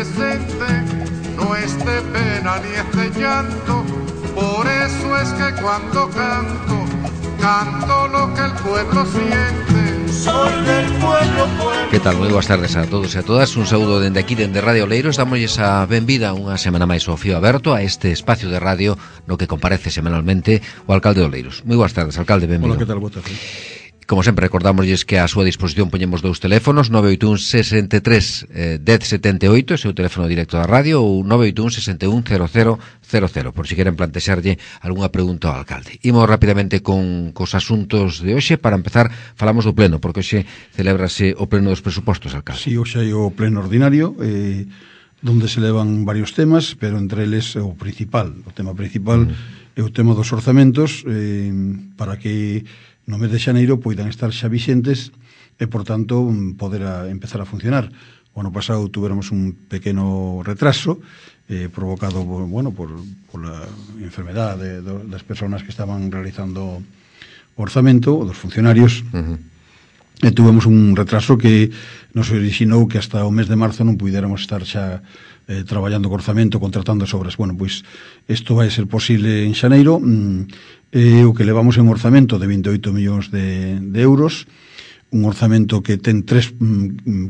presente, no es de pena ni es de llanto. Por eso es que cuando canto, canto lo que el pueblo siente. Soy del pueblo, pueblo. Que tal? Moi boas tardes a todos e a todas. Un saúdo dende aquí, dende Radio Oleiros. Damosles a benvida unha semana máis ao fío aberto a este espacio de radio no que comparece semanalmente o alcalde de Oleiros. Moi boas tardes, alcalde, benvido. Hola, que tal? Boa tarde. Como sempre, recordamosles que a súa disposición poñemos dous teléfonos, 981 63 1078, ese é o teléfono directo da radio, ou 981 61 0000, por si queren plantexarlle algunha pregunta ao alcalde. Imos rapidamente con cos asuntos de hoxe. Para empezar, falamos do pleno, porque hoxe celébrase o pleno dos presupostos, alcalde. Si, hoxe hai o pleno ordinario, donde se levan varios temas, pero entre eles o principal, o tema principal é o tema dos orzamentos, para que no mes de xaneiro poidan estar xa vixentes e, por tanto, poder empezar a funcionar. O ano pasado tuveramos un pequeno retraso provocado por la enfermedade das persoas que estaban realizando o orzamento, o dos funcionarios, e tuvemos un retraso que nos orixinou que hasta o mes de marzo non puidéramos estar xa traballando co orzamento, contratando as obras. Bueno, pois isto vai ser posible en xaneiro. O que levamos en orzamento de 28 millóns de euros, un orzamento que ten tres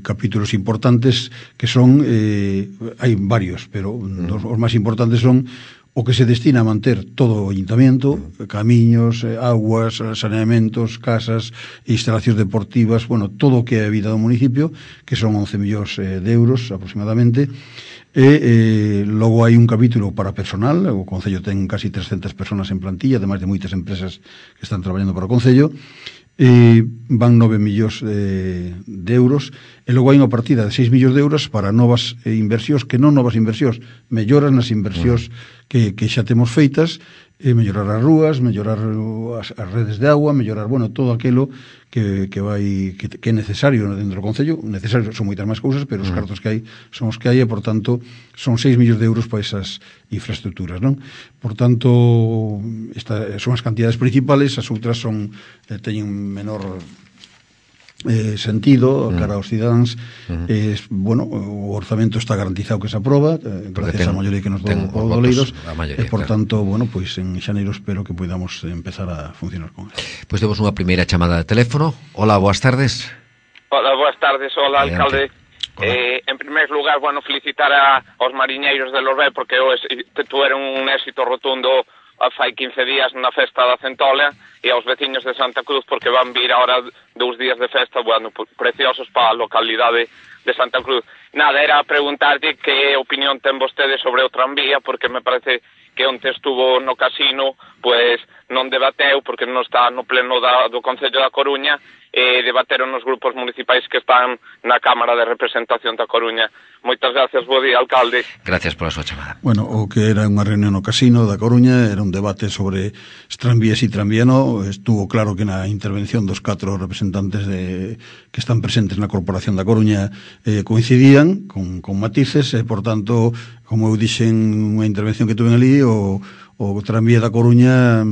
capítulos importantes que son, hai varios, pero os máis importantes son o que se destina a manter todo o ayuntamiento, camiños, aguas, saneamentos, casas, instalacións deportivas, bueno, todo o que é a vida do municipio, que son 11 millóns de euros aproximadamente. E logo hai un capítulo para personal. O Concello ten casi 300 personas en plantilla, ademais de moitas empresas que están traballando para o Concello, e van 9 millóns de euros, e logo hai unha partida de 6 millóns de euros para novas inversións, que non novas inversións, melloras nas inversións que xa temos feitas, mellorar as rúas, mellorar as redes de agua, mellorar, bueno, todo aquilo que é necesario dentro do Concello. Necesario son moitas máis cousas, pero os cartos que hai son os que hai, e, por tanto, son 6 millóns de euros para esas infraestructuras, non? Por tanto, son as cantidades principales, as outras teñen menor sentido cara aos cidadáns. Bueno, o orzamento está garantizado que se aproba, gracias á maioría que nos dou o Oleiros, e, por tanto, bueno, pois en xaneiro espero que podamos empezar a funcionar con ele. Pois temos unha primeira chamada de teléfono. Hola, boas tardes. Hola, boas tardes. Hola, alcalde. En primer lugar, bueno, felicitar aos mariñeiros de Lorbé, porque tuveron un éxito rotundo fai 15 días na festa da Centola, e aos veciños de Santa Cruz, porque van vir ahora 2 días de festa, bueno, preciosos para a localidade de Santa Cruz. Nada, era preguntarte que opinión ten vostede sobre o tranvía, porque me parece que onte estuvo no casino, pues non debateu, porque non está no pleno do Concello da Coruña, e debateron nos grupos municipais que están na Cámara de Representación da Coruña. Moitas gracias, bo día, alcalde. Gracias pola súa chamada. Bueno, o que era unha reunión no casino da Coruña era un debate sobre tranvías e tranvía no. Estuvo claro que na intervención dos 4 representantes que están presentes na Corporación da Coruña coincidían con matices, e, por tanto, como eu dixen unha intervención que tuve ali, o tranvía da Coruña,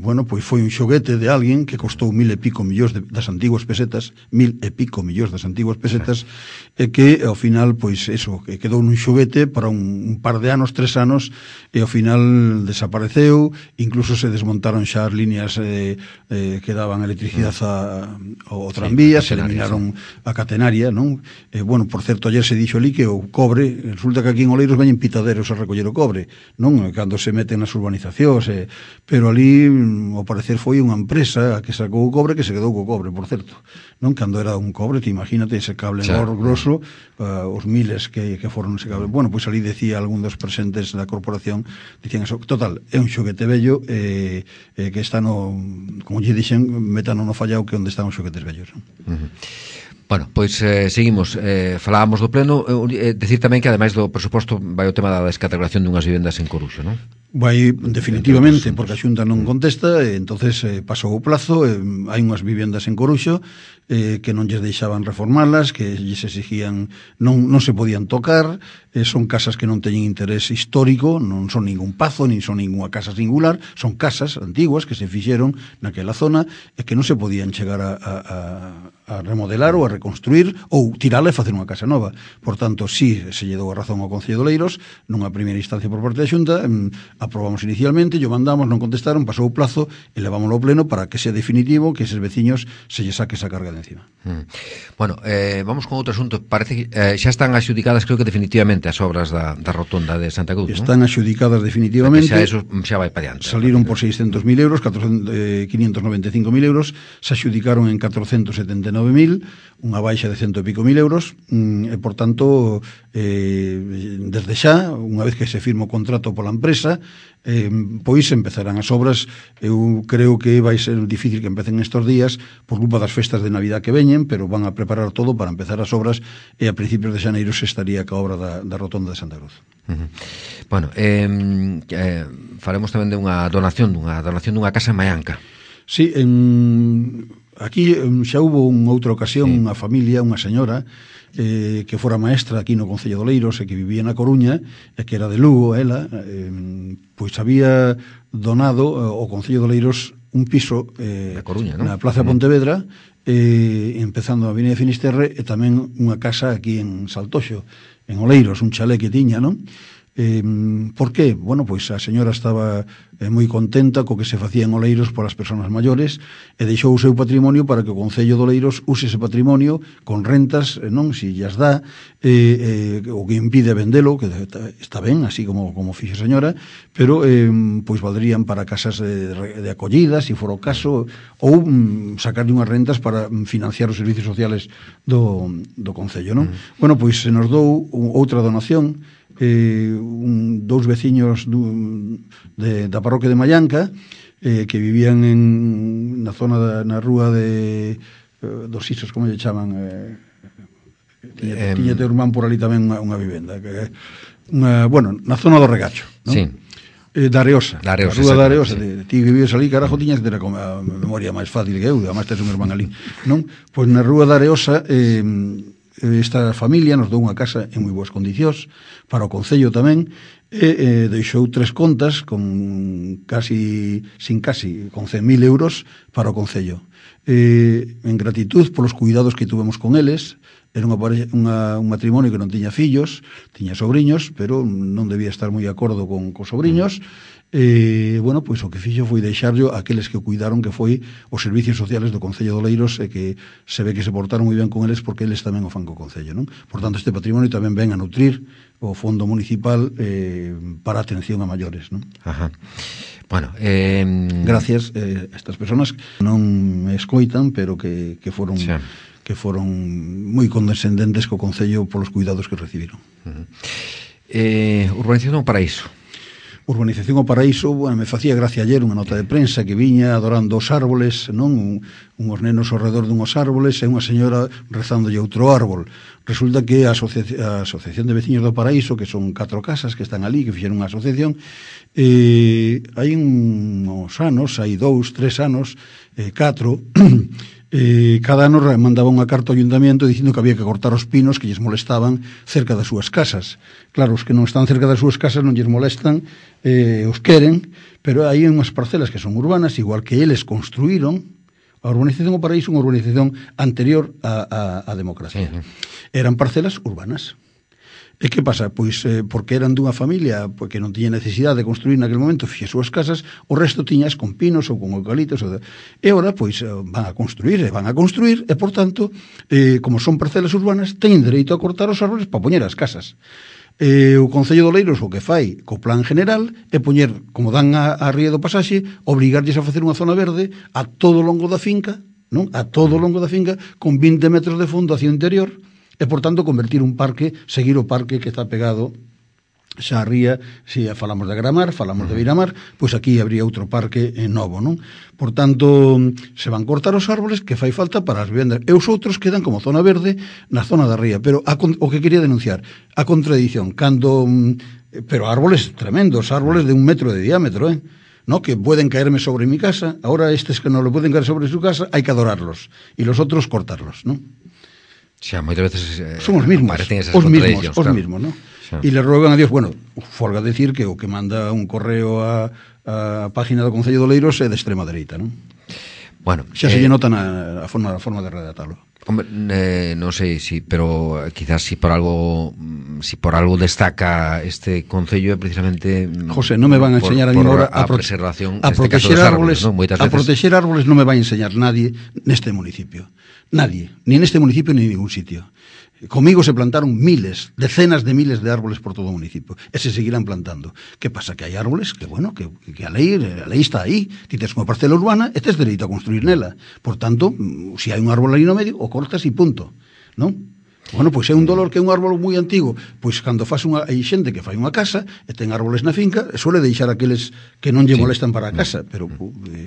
bueno, pois foi un xoguete de alguén que costou 1.000 e pico millóns das antiguas pesetas, 1.000 e pico millóns das antiguas pesetas, e que ao final, pois eso, que quedou nun xoguete para un par de anos, 3 anos, e ao final desapareceu. Incluso se desmontaron xa as líneas que daban electricidade ao tranvía, se eliminaron a catenaria, non? Bueno, por certo, ayer se dixo ali que o cobre, resulta que aquí en Oleiros veñen pitaderos a recoller o cobre, non? Cando se meten nas urbanizacións, pero ali, ao parecer, foi unha empresa que sacou o cobre, que se quedou co cobre, por certo, non? Cando era un cobre, que imagínate ese cable grosso, os miles que foron ese cable. Bueno, pois ali decía algún dos presentes da corporación, dicían eso. Total, é un xoguete vello, que está como lle dixen, metano no fallao, que onde están os xoguetes vellos, non? Bueno, pois seguimos. Falábamos do pleno. Decir tamén que, ademais do presuposto, vai o tema da descategoración dunhas vivendas en Coruxo, non? Vai, definitivamente, porque a Xunta non contesta, entonces pasou o plazo. Hai unhas vivendas en Coruxo que non lles deixaban reformarlas, que lles exigían, non se podían tocar. Son casas que non teñen interés histórico, non son ningún pazo, nin son ninguna casa singular, son casas antiguas que se fixeron naquela zona e que non se podían chegar a remodelar ou a reconstruir ou tirala e facer unha casa nova. Por tanto, si se lle dou a razón ao Concello de Oleiros, nunha primeira instancia por parte da Xunta, aprobamos inicialmente, yo mandamos, non contestaron, pasou o plazo e levámoslo ao pleno para que sea definitivo, que eses veciños se lle saque esa carga de encima. Bueno, vamos con outro asunto. Parece que xa están axudicadas, creo que definitivamente, as obras da rotonda de Santa Cruz, están axudicadas definitivamente. Xa eso xa vai para diante. Saliron por 600.000 euros, 595.000 euros, se axudicaron en 479.000, unha baixa de 100 e pico mil euros, e por tanto, desde xa, unha vez que se firma o contrato pola empresa, pois empezarán as obras. Eu creo que vai ser difícil que empecen estes días por culpa das festas de Navidad que veñen, pero van a preparar todo para empezar as obras, e a principios de xaneiro se estaría ca obra da rotonda de Santa Cruz. Bueno, faremos tamén de unha donación dunha casa en Maianca. Sí, aquí xa hubo unha outra ocasión, unha familia, unha señora que fora maestra aquí no Concello de Oleiros e que vivía na Coruña e que era de Lugo, ela, pois había donado ao Concello de Oleiros un piso Coruña, ¿no? Na Plaza Pontevedra, empezando a Avenida Finisterre, e tamén unha casa aquí en Saltoxo, en Oleiros, un chalé que tiña, non? Por qué? Bueno, pois a señora estaba moi contenta co que se facía en Oleiros polas persoas maiores e deixou o seu patrimonio para que o Concello de Oleiros use ese patrimonio con rentas, non, si llas dá, o que impide vendelo, que está ben, así como fixo a señora, pero pois valdrían para casas de acollida, se for o caso, ou sacarlle unhas rentas para financiar os servicios sociales do Concello, non? Bueno, pois se nos dou outra donación, dous veciños da parroquia de Maianca, que vivían na zona na rúa dos Isos, como lle chaman, tiña teu irmán por ali tamén unha vivenda, bueno, na zona do Regacho, non? Sí. Da Areosa, da rúa da Areosa, ti que vives ali, carajo, tiñas que ter a memoria máis fácil que eu, además tes un irmán ali, non? Pois na rúa da Areosa, esta familia nos dou unha casa en moi boas condicións para o Concello tamén, e deixou 3 contas con 100.000 euros para o Concello, en gratitud polos cuidados que tuvemos con eles. Era un matrimonio que non tiña fillos, tiña sobriños, pero non debía estar moi de acordo con sobriños. Bueno, pois o que fixo foi deixarlo a aqueles que o cuidaron, que foi os servicios sociales do Concello de Oleiros, e que se ve que se portaron moi ben con eles porque eles tamén o fan co Concello, non? Por tanto, este patrimonio tamén ven a nutrir o fondo municipal para atención a maiores, non? Ajá. Bueno, gracias a estas persoas que non me escoitan, pero que foron... Sí, que foron moi condescendentes co Concello polos cuidados que recibiron. Urbanización ao Paraíso. Urbanización ao Paraíso, bueno, me facía gracia ayer unha nota de prensa que viña adorando os árboles, non? Unhos nenos ao redor dunhos árboles e unha señora rezándolle outro árbol. Resulta que a Asociación de Veciños do Paraíso, que son 4 casas que están ali, que fixeron unha asociación, hai uns anos, hai 2, 3 anos, 4, cada ano mandaba unha carta ao ayuntamiento dicindo que había que cortar os pinos que lles molestaban cerca das súas casas. Claro, os que non están cerca das súas casas non lles molestan, os queren, pero hai unhas parcelas que son urbanas, igual que eles construíron. A urbanización ao Paraíso, unha urbanización anterior á democracia. Eran parcelas urbanas. E que pasa? Pois porque eran dunha familia que non tiña necesidade de construir naquele momento, fixe as súas casas, o resto tiñas con pinos ou con eucaliptos, e agora pois van a construir, e por tanto, como son parcelas urbanas, teñen dereito a cortar os árboles para poñer as casas. O Concello de Oleiros o que fai co plan general é poñer, como dan a ría do pasaxe, obrigarlles a facer unha zona verde a todo o longo da finca, non? A todo o longo da finca, con 20 metros de fondo hacia o interior, e, por tanto, convertir un parque, seguir o parque que está pegado xa a ría. Se falamos de Agramar, falamos de Beiramar, pois aquí habría outro parque novo, non? Por tanto, se van cortar os árboles que fai falta para as vivendas, e os outros quedan como zona verde na zona da ría. Pero o que quería denunciar, a contradición, pero árboles tremendos, árboles de 1 metro de diámetro, ¿no? Que pueden caerme sobre mi casa, ahora estes que non lo pueden caer sobre su casa, hai que adorarlos, e los otros cortarlos, ¿no? Xa, moitas veces son os mismos, ¿no? Xa. E le rogan a Dios, bueno, folga decir que o que manda un correo a página do Concello de Oleiros é de extrema dereita, non? Bueno, xa se lle nota a forma de redactarlo. Hombre, non sei si, pero quizás si por algo destaca este concello é precisamente José, non me van a enseñar a mí ahora a preservación a proteger árboles, ¿no? A proteger árboles non me vai a enseñar nadie neste municipio. Nadie, ni neste municipio ni en ningún sitio. Comigo se plantaron decenas de miles de árboles por todo o municipio e se seguirán plantando. Que pasa? Que hai árboles que, bueno, que a lei está aí. Ti tes unha parcela urbana e tes dereito a construir nela. Por tanto, se hai un árbol aí no medio, o cortas e punto, non? Bueno, pois é un dolor que é un árbol moi antigo, pois cando faz hai xente que fai unha casa e ten árboles na finca, suele deixar aqueles que non lle molestan para a casa, pero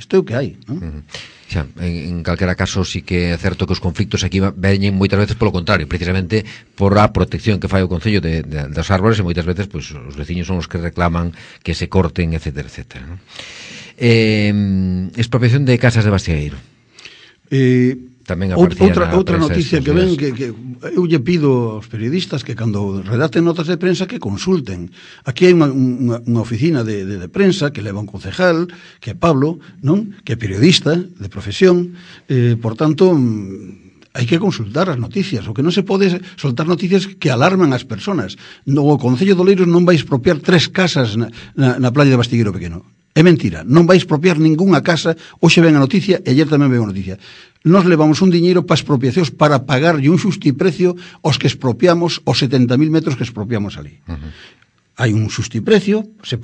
isto é o que hai, non? Xa, en calquera caso sí que é certo que os conflictos aquí veñen moitas veces polo contrario, precisamente por a protección que fai o Concello dos árboles, e moitas veces pois, os veciños son os que reclaman que se corten, etcétera, etcétera, ¿no? Expropiación de casas de Bastiegueiro. Tamén outra noticia que ven que eu lle pido aos periodistas que cando redacten notas de prensa que consulten. Aquí hai unha oficina de prensa que leva un concejal, que é Pablo, non? Que é periodista de profesión, por tanto hai que consultar as noticias. O que non se pode soltar noticias que alarman as persoas. No Concello de Oleiros non vai expropiar 3 casas na playa de Bastiegueiro Pequeno. É mentira, non vai expropiar ningunha casa. Hoxe ven a noticia e ayer tamén ven a noticia. Nos levamos un diñeiro para expropiacións para pagarlle un xustiprecio aos que expropiamos os 70.000 metros que expropiamos ali. Hai un xustiprecio, se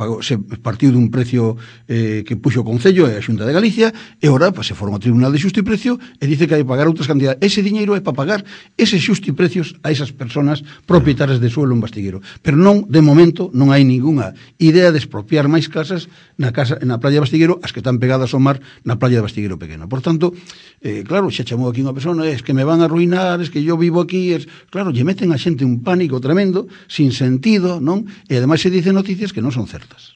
partiu dun precio que puxo o Concello e a Xunta de Galicia, e ora se foron ao Tribunal de Xustiprecio e dice que hai que pagar outras cantidades. Ese diñeiro é para pagar eses xustiprecios a esas persoas propietarias de suelo en Bastiegueiro. Pero non, de momento, non hai ningunha idea de expropiar máis casas na playa de Bastiegueiro, as que están pegadas ao mar na playa de Bastiegueiro Pequeno. Por tanto, claro, xa chamou aquí unha persona, es que me van a arruinar, es que yo vivo aquí, claro, lle meten a xente un pánico tremendo, sin sentido, non? E ademais se dicen noticias que non son certas.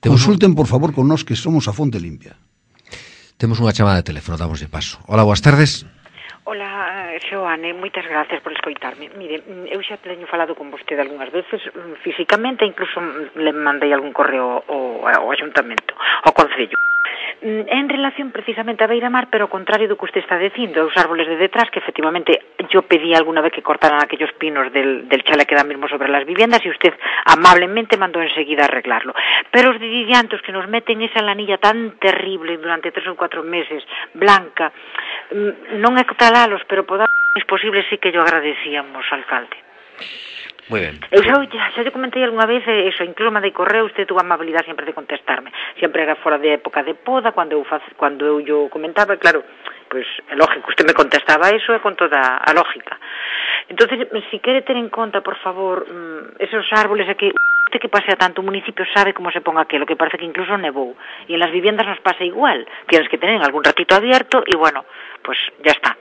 Consulten, por favor, con nós que somos a fonte limpia. Temos unha chamada de teléfono, damos de paso. Hola, boas tardes. Hola, Xoane, moitas gracias por escoitarme. Mire, eu xa teño falado con vostede algunhas veces, físicamente, incluso le mandei algún correo ao Ayuntamento, ao Concello. En relación precisamente a Beira-Mar, pero ao contrario do que usted está dicindo, os árboles de detrás, que efectivamente yo pedí alguna vez que cortaran aquellos pinos del chale que da mismo sobre las viviendas, y usted amablemente mandó enseguida a arreglarlo. Pero os didiantos que nos meten esa lanilla tan terrible durante 3 ou 4 meses, blanca, non é talalos, pero por es posible, sí que yo agradecíamos, alcalde. Muy bien. Eu xa te comentei algunha vez eso, incluso mandei correo, usted tuvo a amabilidade sempre de contestarme. Sempre era fora de época de poda, cando eu yo comentaba, claro, pues é lógico, usted me contestaba eso e con toda a lógica. Entonces, si quere ter en conta, por favor, esos árboles aquí, usted que pasea tanto o municipio sabe como se pon aquelo, que parece que incluso nevou. E en las viviendas nos pasa igual, tienes que tener algún ratito abierto e bueno, pues ya está.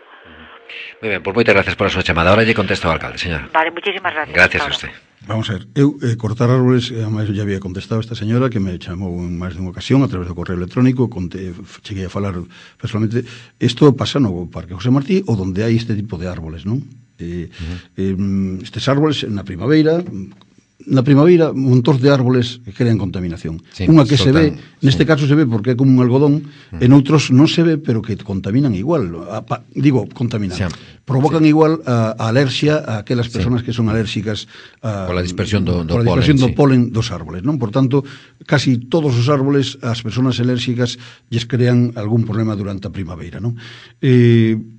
Muy ben, pues moitas gracias por a súa chamada. Ahora lle contesto ao alcalde, señora. Vale, muchísimas gracias. Gracias a usted. Vamos a ver, eu cortar árboles, además ya había contestado esta señora que me chamou en máis de unha ocasión a través do correo electrónico, cheguei a falar personalmente. Isto pasa no Parque José Martí, ou donde hai este tipo de árboles, non? Estes árboles na primavera, montós de árboles que crean contaminación. Sí, unha que se ve, neste caso se ve porque é como un algodón, en outros non se ve, pero que contaminan igual. Contaminan. Sí. Provocan igual a alerxia a aquelas persoas que son alérxicas pola dispersión do polen dos árboles, non? Por tanto, casi todos os árboles, as persoas alérxicas lles crean algún problema durante a primavera, non?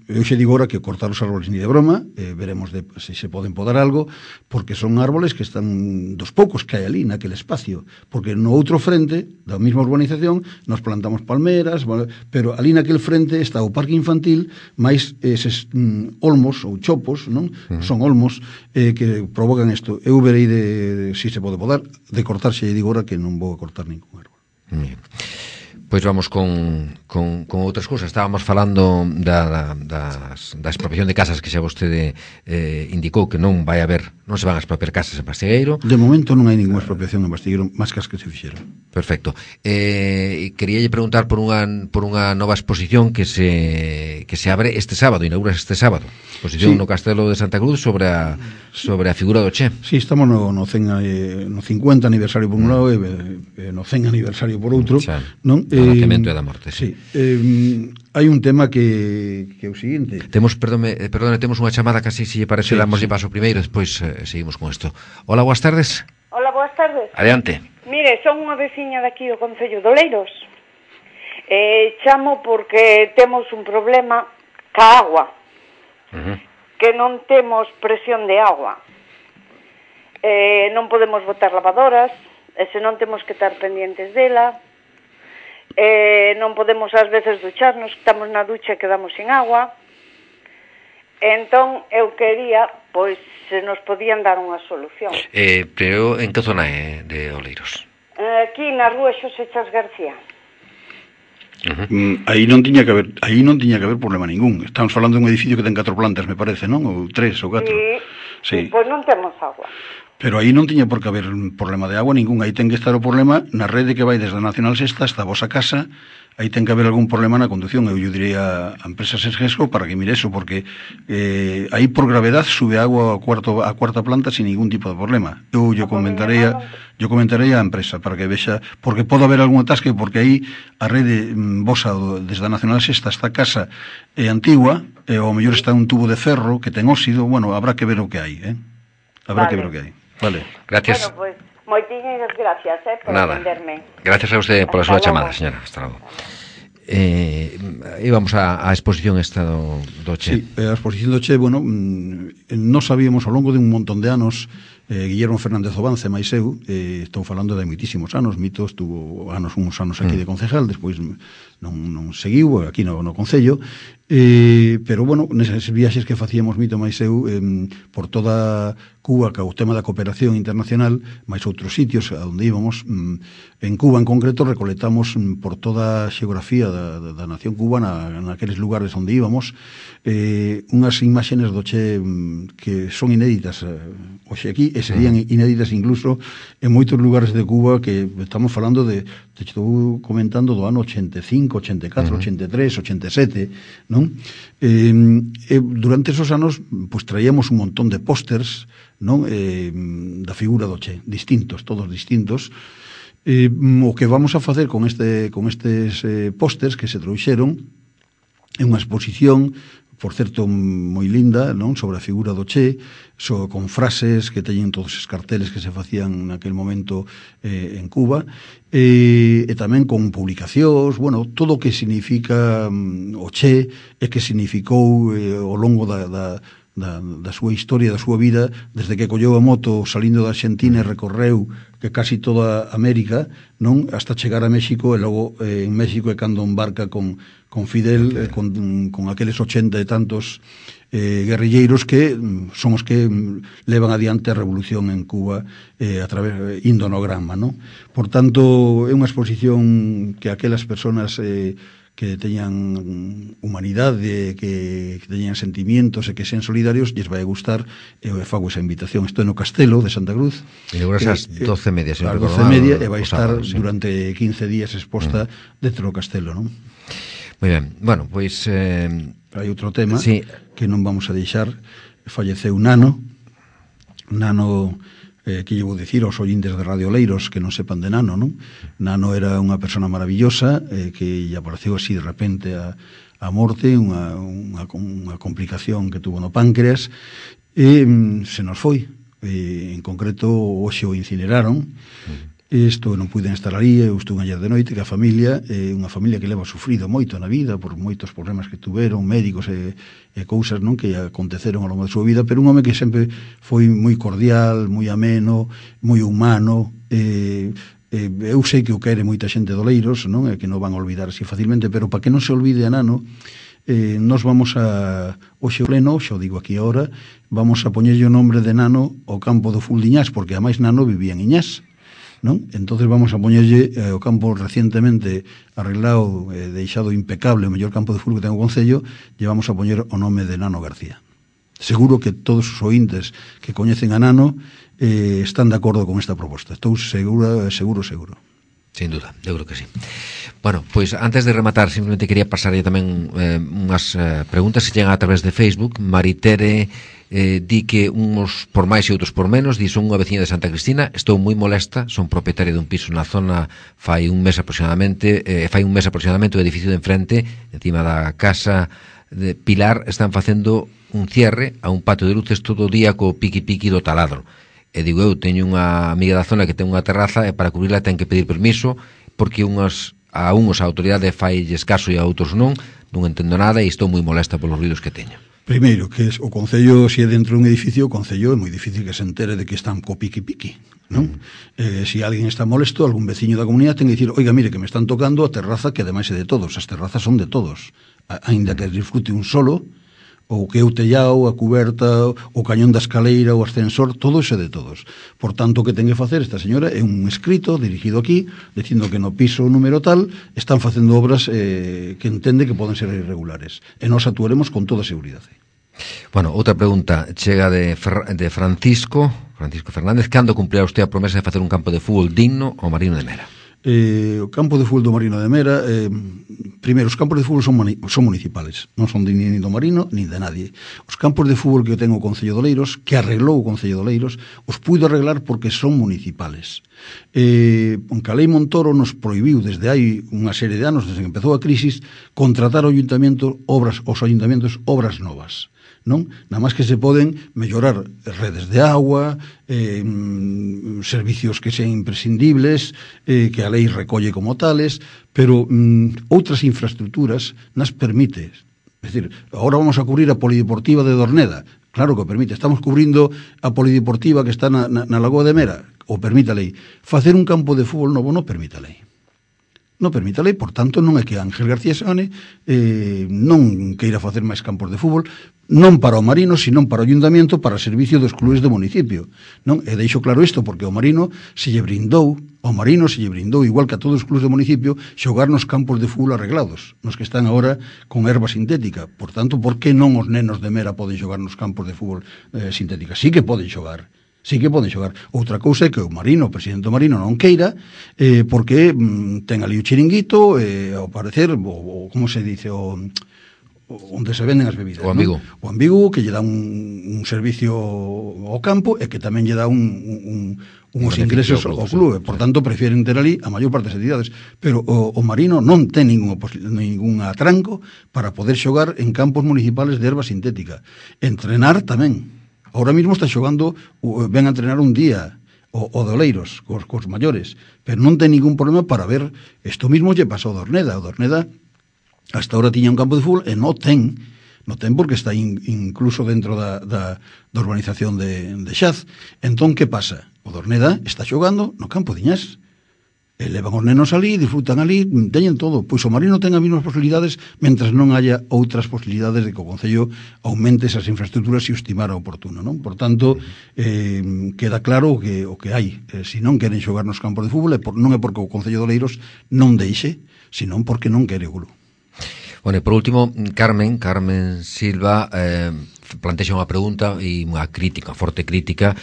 Eu xe digo ahora que cortar os árboles ni de broma, veremos se se poden podar algo, porque son árboles que están dos poucos que hai ali naquele espacio, porque no outro frente da mesma urbanización nos plantamos palmeras, pero ali naquele frente está o parque infantil máis eses olmos ou chopos, non? Son olmos que provocan isto. Eu verei se se pode podar, de cortar, xe digo ahora que non vou a cortar ningún árbol. Pois vamos con outras cousas. Estábamos falando da expropiación de casas que xa vostede indicou que non se van a expropiar casas en Bastiegueiro. De momento non hai ninguna expropiación en Bastiegueiro, máis que as que se fixeron. Perfecto. Queríalle preguntar por unha nova exposición que se abre este sábado, inaugura este sábado. Exposición no Castelo de Santa Cruz sobre a figura do Che. Sí, estamos no 50 aniversario por un lado e no 100 aniversario por outro, non? O nacemento e da morte, sí. hai un tema que é o seguinte. Perdone, temos unha chamada casi, se lle parece, damoslle paso primeiro, despois seguimos con isto. Hola, boas tardes. Hola, boas tardes. Adiante. Mire, son unha veciña daqui do Concello de Oleiros. Chamo porque temos un problema ca agua. Que non temos presión de agua. Non podemos botar lavadoras, e se non temos que estar pendientes dela. Non podemos ás veces ducharnos, estamos na ducha e quedamos sin agua. Entón eu quería, pois, se nos podían dar unha solución. Pero en que zona é de Oleiros? Aquí na rúa Xosé Chas García. Aí non tiña que haber problema ningún. Estamos falando dun edificio que ten 4 plantas, me parece, non? Ou 3 ou 4. Sí. Pois non temos agua. Pero aí non tiña por que haber problema de agua ningún. Aí ten que estar o problema na rede que vai desde a Nacional Sexta hasta a vosa casa. Aí ten que haber algún problema na conducción. Eu diría a empresa Sesgesco para que mire eso, porque aí por gravedad sube agua a cuarta planta sin ningún tipo de problema. Eu comentarei a empresa para que vexa, porque pode haber algún atasque, porque aí a rede vosa desde a Nacional Sexta hasta a casa é antigua, e ao mellor está un tubo de ferro que ten óxido. Bueno, habrá que ver o que hai, Habrá que ver o que hai. Vale. Gracias. Bueno, pues, moitísimas gracias, por atenderme. Gracias a usted pola súa chamada, señora. Hasta logo. Íbamos a exposición esta do Che. Sí, a exposición do Che, bueno, non sabíamos ao longo de un montón de anos. Guillermo Fernández Obance, máis eu, estou falando de moitísimos anos. Mito estuvo uns anos aquí de concejal, despois non seguiu aquí no Concello, pero bueno, neses viaxes que facíamos Mito máis eu por toda Cuba, que o tema da cooperación internacional, máis outros sitios a onde íbamos, en Cuba en concreto recoletamos por toda a xeografía da nación cubana, naqueles lugares onde íbamos, unhas imaxenes do Che que son inéditas hoxe aquí, e serían inéditas incluso en moitos lugares de Cuba, que estamos falando de estou comentando do ano 85, 84, 83, 87, non? Durante esos anos, pois traíamos un montón de pósters, non? Da figura do Che, distintos, todos distintos. O que vamos a facer con estes pósters que se trouxeron é unha exposición, por certo, moi linda, non? Sobre a figura do Che, con frases que teñen todos os carteles que se facían naquel momento en Cuba, e tamén con publicacións, bueno, todo o que significa o Che e que significou ao longo da súa historia, da súa vida, desde que colleu a moto salindo da Argentina e recorreu que casi toda América, non? Hasta chegar a México, e logo en México é cando embarca con Fidel, con aqueles 80 e tantos guerrilleiros que son os que levan adiante a revolución en Cuba a través indo no Granma, non? Por tanto, é unha exposición que aquelas personas que teñan humanidade, que teñan sentimientos e que sean solidarios, lles vai gustar, e eu fago esa invitación. Estou no Castelo de Santa Cruz. Inauguras ás 12:30, ás 12:30, e vai estar durante 15 días exposta dentro do Castelo, non? Moi ben. Bueno, pois hai outro tema que non vamos a deixar. Falleceu Nano, que lle vou dicir aos ointes de Radio Oleiros que non sepan de Nano, non? Nano era unha persona maravillosa que lle apareceu así de repente a morte, unha complicación que tuvo no páncreas, e se nos foi. En concreto, hoxe o incineraron. Isto non puiden estar ali, eu estuve ayer de noite, que a familia, unha familia que leva sufrido moito na vida por moitos problemas que tuveron, médicos e cousas, non, que aconteceron ao longo da súa vida, pero un home que sempre foi moi cordial, moi ameno, moi humano. Eu sei que o quere moita xente de Oleiros, non, é que non van a olvidar así facilmente, pero para que non se olvide a Nano, nos vamos a hoxe pleno, xa o digo aquí ahora, vamos a poñerlle o nombre de Nano ao campo do Fuldiñás, porque ademais Nano vivía en Iñás, non? Entonces vamos a poñerlle o campo recientemente arreglado, deixado impecable, o mellor campo de fútbol que ten o Concello, lle vamos a poñer o nome de Nano García. Seguro que todos os ointes que coñecen a Nano están de acordo con esta proposta. Estou seguro. Sin duda, eu creo que sí. Bueno, pois antes de rematar, simplemente quería pasarlle tamén unhas preguntas que llegan a través de Facebook. Maritere di que uns por máis e outros por menos, di son unha veciña de Santa Cristina, estou moi molesta, son propietaria dun piso na zona fai un mes aproximadamente o edificio de enfrente, encima da casa de Pilar, están facendo un cierre a un patio de luces todo o día co piqui-piqui do taladro. E digo, eu teño unha amiga da zona que ten unha terraza e para cubrirla ten que pedir permiso porque a autoridade failles caso e a outros non entendo nada e estou moi molesta polos ruidos que teño. Primeiro, que o Concello, se é dentro dun edificio, o Concello é moi difícil que se entere de que están co piqui-piqui, non? Se alguén está molesto, algún veciño da comunidade ten que dicir, oiga, mire, que me están tocando a terraza que ademais é de todos, as terrazas son de todos, aínda que disfrute un solo, ou que o tellao, a cuberta, o cañón da escaleira, o ascensor, todo iso é de todos. Por tanto, o que ten que facer esta señora é un escrito dirigido aquí, dicindo que no piso número tal están facendo obras que entende que poden ser irregulares. E nós actuaremos con toda a seguridade. Bueno, outra pregunta chega de Francisco Fernández. Cando cumprirá usted a promesa de facer un campo de fútbol digno ao Marino de Mera? O campo de fútbol do Marino de Mera, primeiro, os campos de fútbol son municipales, non son nin do Marino nin de nadie. Os campos de fútbol que ten o Concello de Oleiros, que arreglou o Concello de Oleiros, os puido arreglar porque son municipales. A Lei Montoro nos prohibiu desde hai unha serie de anos, desde que empezou a crisis, contratar aos ayuntamentos obras novas. Non? Nada máis que se poden mellorar redes de agua, servicios que sean imprescindibles, que a lei recolle como tales, pero outras infraestructuras nas permite. É dicir, agora vamos a cubrir a polideportiva de Dorneda. Claro que o permite. Estamos cubrindo a polideportiva que está na Lagoa de Mera. O permite a lei. Facer un campo de fútbol novo non permite a lei. Non permite a lei, por tanto, non é que Ángel García Seoane non queira facer máis campos de fútbol, non para o Marino, sino para o Ayuntamiento, para o servicio dos clubes do municipio. Non? E deixo claro isto, porque o Marino se lle brindou, igual que a todos os clubes do municipio, xogar nos campos de fútbol arreglados, nos que están agora con erva sintética. Por tanto, por que non os nenos de Mera poden xogar nos campos de fútbol sintética? Sí que poden xogar. Outra cousa é que o Marino, o presidente do Marino, non queira, porque ten ali o chiringuito, ao parecer, como se dice, onde se venden as bebidas. O Ambigu. ¿no? O Ambigu, que lle dá un servicio ao campo e que tamén lle dá uns ingresos ao clube. Por tanto, prefieren ter ali a maior parte das entidades. Pero o Marino non ten ningún atranco para poder xogar en campos municipales de erva sintética. Entrenar tamén. Ahora mismo está xogando, ven a entrenar un día o de Oleiros, cos maiores, pero non ten ningún problema para ver. Isto mismo lle pasou a Dorneda. O Dorneda hasta ahora tiña un campo de fútbol e non ten porque está incluso dentro da urbanización de Xaz. Entón, que pasa? O Dorneda está xogando no campo de Iñás. E levan os nenos ali, disfrutan ali, teñen todo. Pois o Marino ten as mesmas posibilidades mentras non haya outras posibilidades de que o Concello aumente esas infraestructuras se o estimara oportuno, non? Por tanto, queda claro o que hai. Se non queren xogar nos campos de fútbol, non é porque o Concello de Oleiros non deixe, senón porque non quere o club. Bueno, e por último, Carmen Silva plantexa unha pregunta e unha crítica, forte crítica.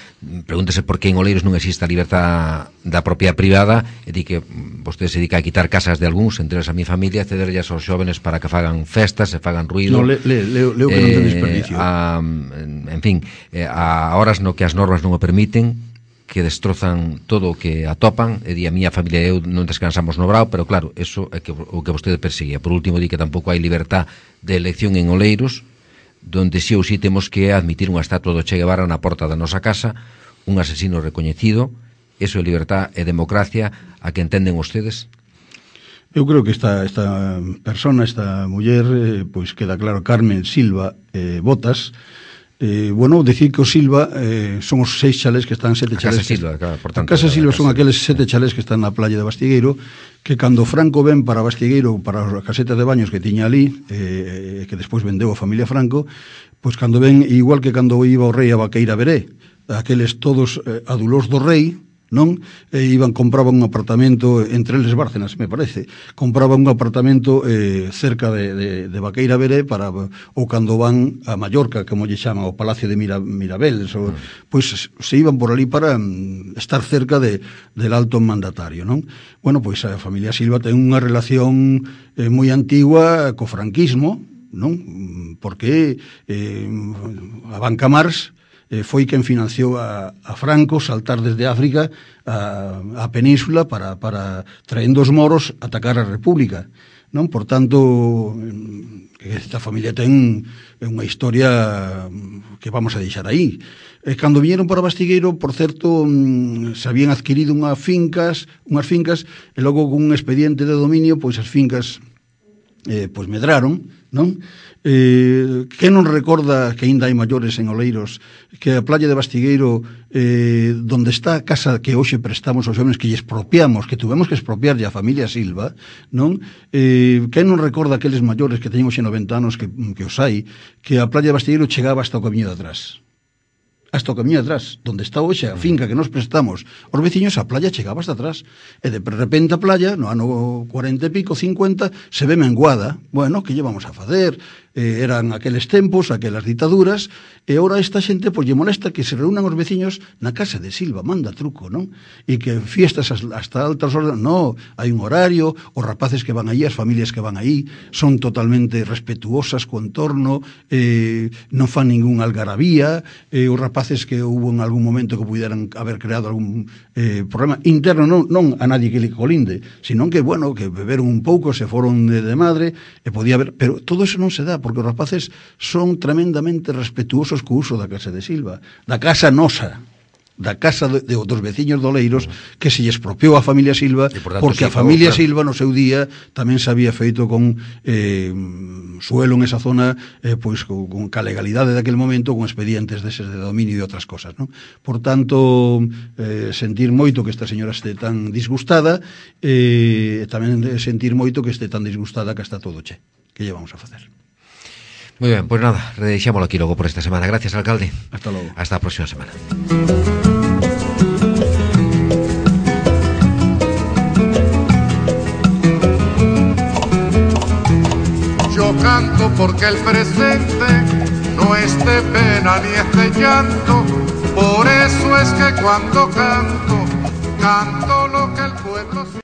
Pregúntese por que en Oleiros non existe a libertad da propiedade privada e di que vostede se dedica a quitar casas de algúns, entre elas a mi familia, cederllas aos xóvenes para que fagan festas e fagan ruido. No, leo que non ten desperdicio. En fin, a horas no que as normas non o permiten, que destrozan todo o que atopan, e di a miña familia e eu non descansamos no brao, pero claro, eso é o que vostede perseguía. Por último, di que tampouco hai libertad de elección en Oleiros, donde si ou si temos que admitir unha estatua do Che Guevara na porta da nosa casa, un asesino recoñecido. Eso é libertad e democracia a que entenden ustedes? Eu creo que esta persona, esta muller, pois queda claro, Carmen Silva Botas. Bueno, decir que o Silva son os 6 chalés que están, 7 chalés. A Casa Silva son aqueles 7 chalés que están na playa de Bastigueiro, que cando Franco ven para Bastigueiro, para as casetas de baños que tiña ali, que despois vendeu a familia Franco, pois cando ven, igual que cando iba o rei a Vaqueira Veré, aqueles todos adulós do rei, non? Compraban un apartamento entre eles Bárcenas, me parece. Compraban un apartamento cerca de Vaqueira Veré ou cando van a Mallorca, como lle chaman, ao Palacio de Mirabeles, pois se iban por ali para estar cerca del alto mandatario, non? Bueno, pois a familia Silva ten unha relación moi antigua co franquismo, non? Porque a Banca Mars foi quen financiou a Franco saltar desde África a península para traendo os moros atacar a República, non? Por tanto, esta familia ten unha historia que vamos a deixar aí. Cando viñeron para Bastigueiro, por certo, se habían adquirido unhas fincas, e logo con un expediente de dominio, pois as fincas pois medraron, non? Que non recorda que ainda hai maiores en Oleiros que a playa de Bastigueiro, donde está a casa que hoxe prestamos aos homens, que lle expropiamos, que tuvemos que expropiarlle a familia Silva, non? Que non recorda aqueles maiores que teñen hoxe 90 anos que os hai, que a playa de Bastigueiro chegaba hasta o camiño de atrás, donde está hoxe a finca que nos prestamos os veciños, a playa chegaba hasta atrás, e de repente a playa no ano 40 e pico, 50, se ve menguada. Bueno, que lle vamos a facer? Eran aqueles tempos, aquelas ditaduras, e ora esta xente pois lle molesta que se reúnan os veciños na casa de Silva, manda truco, non? E que fiestas hasta altas horas, non, hai un horario, os rapaces que van aí, as familias que van aí, son totalmente respetuosas co entorno, non fan ningún algarabía, os rapaces que hubo en algún momento que puderan haber creado algún problema interno, non a nadie que le colinde, sino que, bueno, que beberon un pouco, se foron de madre, e podía haber, pero todo eso non se dá, porque os rapaces son tremendamente respetuosos co uso da casa de Silva, da casa nosa, da casa dos veciños de Oleiros, que se lle expropiou a familia Silva, porque a familia Silva no seu día tamén se había feito con suelo en esa zona, pois con a legalidade daquele momento, con expedientes deses de dominio e outras cosas, non? Por tanto, sentir moito que esta señora este tan disgustada, e tamén sentir moito que este tan disgustada que está todo che. Que lle vamos a facer? Muy bien, pues nada, redeixámoslo aquí logo por esta semana. Gracias, alcalde. Hasta logo. Hasta a próxima semana. Yo canto porque el presente no es de pena ni es de llanto, por eso es que cuando canto, canto lo que el pueblo